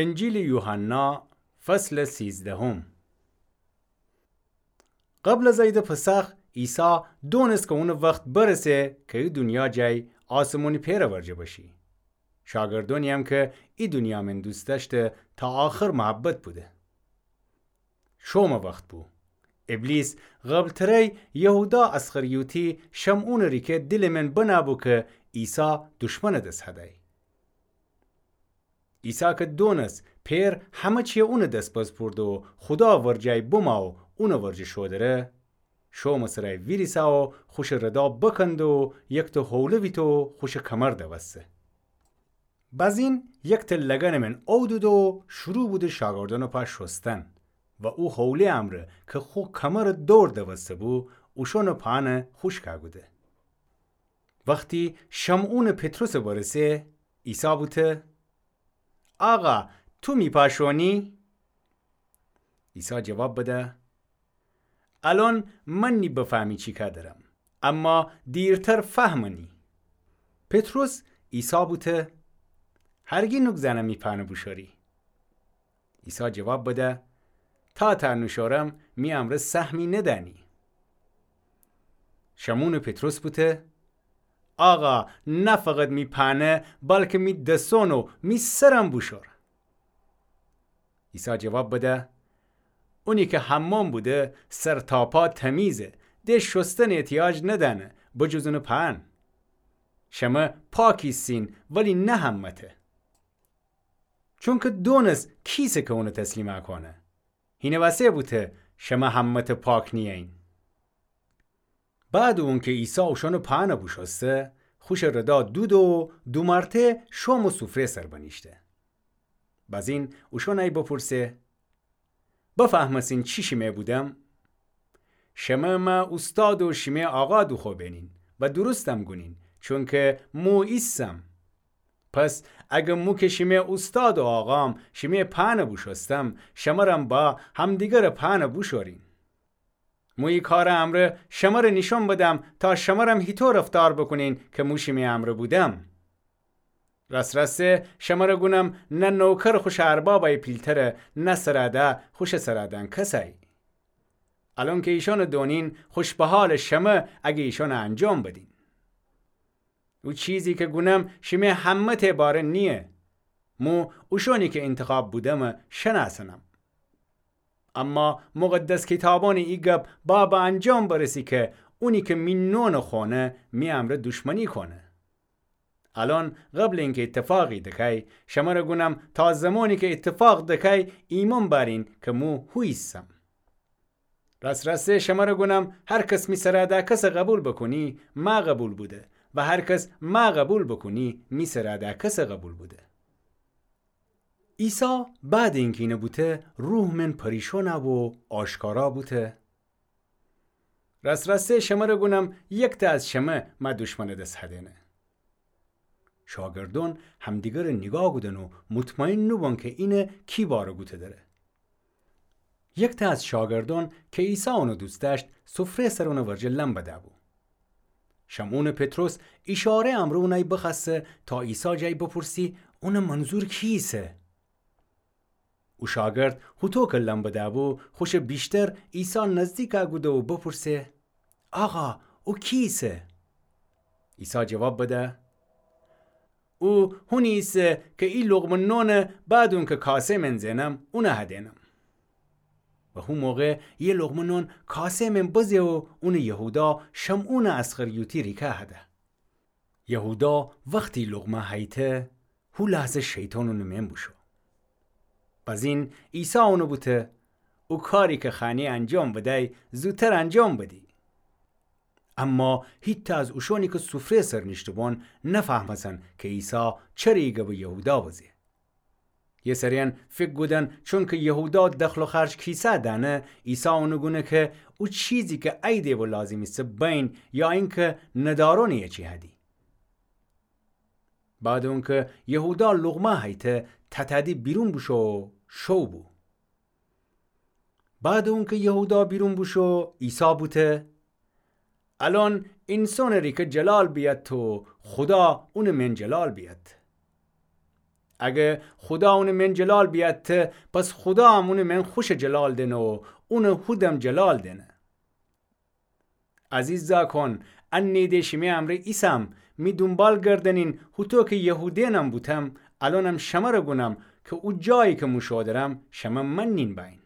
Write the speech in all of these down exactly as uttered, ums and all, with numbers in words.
انجیلٚ یوحنا، فصلٚ سیزدهم. قبل از عیدٚ پسخ، عیسی دونست کی اونٚ وخت برسه کی ای دونیا جای آسمونی پئرٚ ورجه بشی. شاگردونی‌یم کی ای دونیا مئن دوست دأشته تا آخر محبت بوده. شومٚ وخت بو. ابلیس قبل‌تره‌ی یهودا اسخریوطی شمعونٚ ریکه دیلٚ مئن بنه بو کی عیسی دشمنٚ دس هدی. عیسی کی دونست پئر همه چی اونٚ دس بسپورده و خودا ورجه بمه و اونٚ ورجه شودره، شومٚ سرای ویریسه و خوشٚ ردا بکنده و یکته حوله ویته و خوشٚ کمر دوسته. بزین یکته لگنٚ مئن اودوده و شروع بوده شاگردأنٚ پا شوستن و او حوله امرأ کی خو کمرٚ دور دوسته بو، اوشأنٚ پانه خوشکه کوده. وختی شمعونٚ پطرسٚ برسه، عیسی بوته: آقا، تو می پا شونی؟ عیسی جواب بده: الأن من نی بفهمی چی کار دأرم، اما دیرتر فهمنی. پطرس عیسی بوته: هرگی نوک زنم می پانه بوشوری. عیسی جواب بده: تا تأ نوشورم می امرأ سهمی ندأنی. شمعونٚ پطرس بوته: آقا، نه فقط می پانه، بلکه می دسون و می سرم بوشور. عیسی جواب بده: اونی کی حمام بوده، سر تا پا تمیزه، ده شوستن احتیاج ندأنه، بجز اونٚ پان. شمه پاک ایسین، ولی نه همه‌ته. چونکی دونست کیسه کی اونه تسلیم کونه. هینه وسه بوته شمه همه‌ته پاک نیین. بعد اونکی عیسی اوشانٚ پانه بوشوسته، خوشٚ ردا دوده و دومرته شوم و سفره سر بنیشته. بزین اوشان ای بپرسه: بفهمسین چی شیمه بودم؟ شمه مه اوستاد و شیمه آقا دوخوبنین و درستم گونین، چونکی مو ایسم. پس اگه مو کی شیمه اوستاد و آقام شیمه پانه بوشوستم، شمرم با همدیگرٚ پانه بوشورین. مو ای کارٚ امرأ شمره نیشون بدم تا شمرم هیطو رفتار بوکونین کی مو شیمه امرأ بودم. راست راسته شمره گونم، نه نوکر خوشٚ اربابی پیلتره، نه سرادأ خوشٚ سرادأنکسی. الأن کی ایشانه دونین، خوش بحالٚ شمه اگه ایشانه انجام بدین. او چیزی کی گونم شیمه همه‌ته باره نییه. مو اوشانی کی اینتخاب بودمه شنأسنم. اما مقدس کیتابأنی ای گب با به انجام برسی کی اونی کی می نونٚ خونه می امرأ دوشمنی کونه. الأن قبلٚ اینکی ایتفاقی دکای، شمره گونم تا زمانی کی ایتفاق دکای ایمأن بأرین کی مو هو ایسم. راست راسته شمره گونم، هر کس می سرادأکسه قبول بوکونی، مه قبول بوده و هر کس مه قبول بوکونی، می سرادأکسه قبول بوده. عیسی بعدٚ اینکی اینه بوته، روح من پریشان بو و آشکارا بوته: راست راسته شمره گونم، یکته از شمه مه دوشمنٚ دس هدینه. شاگردأن همدیگره نیگاه کودن و مطمئن نوبون کی اینه کی باره گوته دره. یکته از شاگردأن کی عیسی اونه دوست دأشت، سفره سر اونٚ ورجه لم بدأ بو. شمعونٚ پطرس ایشاره امرأ اونأی بخوأسته تا عیسی جای بپرسی اونٚ منظور کی ایسه. او شاگرد هوطو کی لم بدأ بو، خوشٚ بیشتر عیسی نزدیکأ کوده و بپرسه: آقا، او کی ایسه؟ عیسی جواب بده: او هونی ایسه کی ای لقمه نونه بعد اونکی کاسه من زئنم، اونه هدینم. و هو موقع یه لقمه نون کاسه من بزه و اونه یهودا شمعونٚ اسخریوطی ریکه هده. یهودا وختی لقمه هیته، هو لحظه شیطان اونٚ مئن بوشو. بزین عیسی اونه بوته: او کاری کی خوأنی انجام بدأی، زودتر انجام بدی. اما هیتأ از اوشانی کی سفره سر نیشته‌بون نفهمستن کی عیسی چره ای گبٚ یهودا بزه. یه سریأن فکر کودن چونکی یهودا دخل و خرج کیسه دأنه، عیسی اونه گونه کی او چیزی کی ایدی و لازم ایسه بین، یا اینکی ندارون یه چی هدی. بعد اونکی یهودا لقمه هیته، تتأدی بیرون بوشو و شو بو. بعد اونکی یهودا بیرون بوشو، عیسی بوته: الأن اینسانٚ ریکه جلال بیأد و خودا اونٚ مئن جلال بیأد. اگه خودا اونٚ من جلال بیأته، پس خودا هم اونٚ من خوشٚ جلال دأنه و اونٚ هودم جلال دأنه. عزیزأکون، انی‌ده شیمی امرأ ایسم، می دونبال گردأنین، هوطو کی یهودأنم بوتم، الأنم شمره گونم کی او جایی کی مو شودرم، شمه مننین بأیین.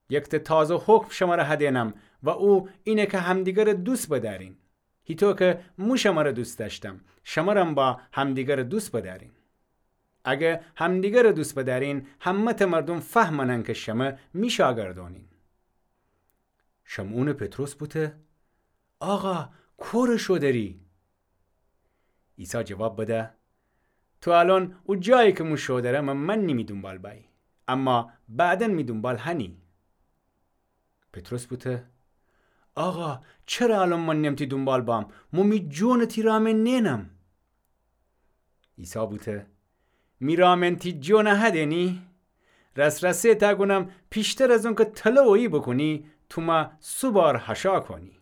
یکته تازه حکم شمره هدأنم و او اینه کی همدیگره دوست بدأرین. هیطو کی مو شمره دوست دأشتم، شمرم با همدیگره دوست بدأرین. اگه همدیگره دوست بدأرین، همه‌ته مردوم فهمأنن کی شمه می شاگردأنین. شمعونٚ پطرس بوته: آقا، کوره شودری؟ عیسی جواب بده: تو الأن او جایی کی مو شودرمه مننی می دونبال بأیی، اما بعداً می دونبال هنی. پطرس بوته: آقا، چره الأن من نم تی دونبال بام؟ مو می جونٚ تی رأ من نئنم. عیسی بوته: می رأ من تی جون هدأنی؟ راس‌راسی تا گونم، پیشتر از اونکی تله اویی بوکونی، تو مه سه بار هشا کونی.